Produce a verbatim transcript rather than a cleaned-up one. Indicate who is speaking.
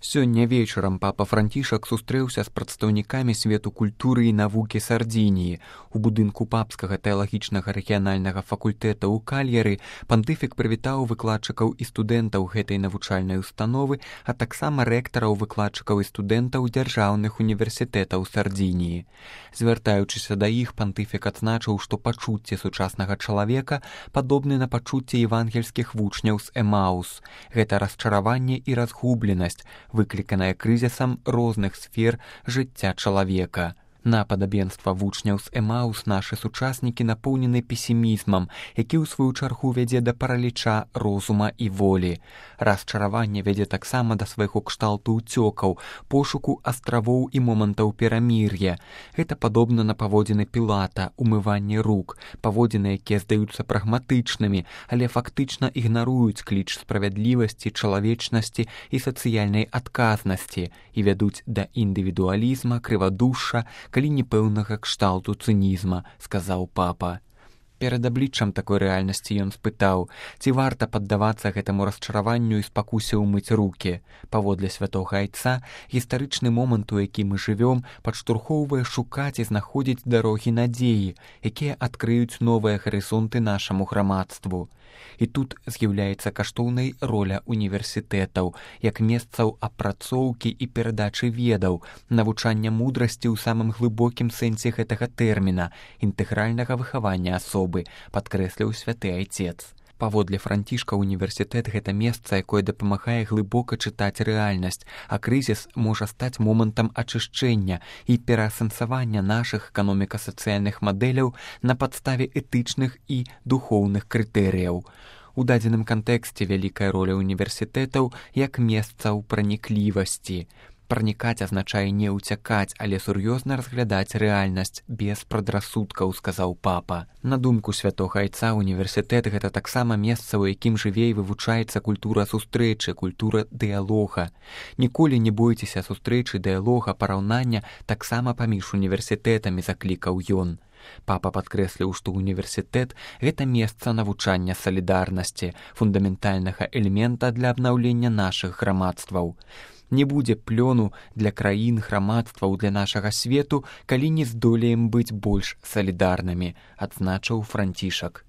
Speaker 1: Сёння вечарам папа Францішак сустрэўся з прадстаўнікамі свету культуры і навукі Сардзініі. У будынку папскага тэалагічнага рэгіянальнага факультэта ў Кальяры пантыфік прывітаў выкладчыкаў і студэнтаў гэтай навучальнай установы, а таксама рэктараў, выкладчыкаў і студэнтаў дзяржаўных універсітэтаў Сардзініі. Звяртаючыся да іх, пантыфік адзначыў, што пачуцце сучаснага чалавека падобны на пачуцце евангельскіх вучняў з Эмаус. Гэта расчараванне і разгубленасць, выкліканая крызісам розных сфер жыцця чалавека. На падабенства вучняў з Эмаус нашы сучаснікі напоўнены песімізмам, які ў сваю чаргу вядзе да параліча розума і волі. Расчараванне вядзе таксама да свайго кшталту ўцёкаў, пошуку астравоў і момантаў перамір'я. Гэта падобна на паводзіны Пілата, умыванне рук, паводзіны, якія здаюцца прагматычнымі, але фактычна ігнаруюць кліч справядлівасці, чалавечнасці і сацыяльнай адказнасці і вядуць да індывідуалізма, крывадушша, калі непэўнага кшталту цынізма, сказаў папа. Перад абліччам такой рэальнасці ён спытаў, ці варта паддавацца гэтаму расчараванню і спакусе ўмыць рукі. Паводле святога айца, гістарычны момант, у які мы жывём, падштурхоўвае шукаць і знаходзіць дарогі надзеі, якія адкрыюць новыя гарызонты нашаму грамадству. І тут з'яўляецца каштоўнай роля універсітэтаў, як месцаў апрацоўкі і перадачы ведаў, навучання мудрасці ў самым глыбокім сэнсе гэтага тэрміна, інтэгральнага выхавання асобы, падкрэсліў святы айцец. Паводле Францішка, універсітэт – гэта месца, якое дапамагае глыбока чытаць рэальнасць, а крызіс можа стаць момантам ачышчэння і пераасэнсавання нашых эканоміка-сацыяльных мадэляў на падставе этычных і духоўных крытэрыяў. У дадзеным кантэксце вялікая роля універсітэтаў як месцаў праніклівасці. Пранікаць азначае не ўцякаць, але сур'ёзна разглядаць рэальнасць без прадрасудкаў, сказаў папа. На думку святога айца, універсітэт – гэта таксама месца, у якім жыве і вывучаецца культура сустрэчы, культура дыялога. Ніколі не бойцеся сустрэчы, дыялога, параўнання таксама паміж універсітэтамі, заклікаў ён. Папа падкрэсліў, што універсітэт – гэта месца навучання салідарнасці, фундаментальнага элемента для абнаўлення нашых грамадстваў. Не будзе плёну для краін, грамадстваў, для нашага свету, калі не здолеем быць больш салідарнымі, адзначыў Францішак.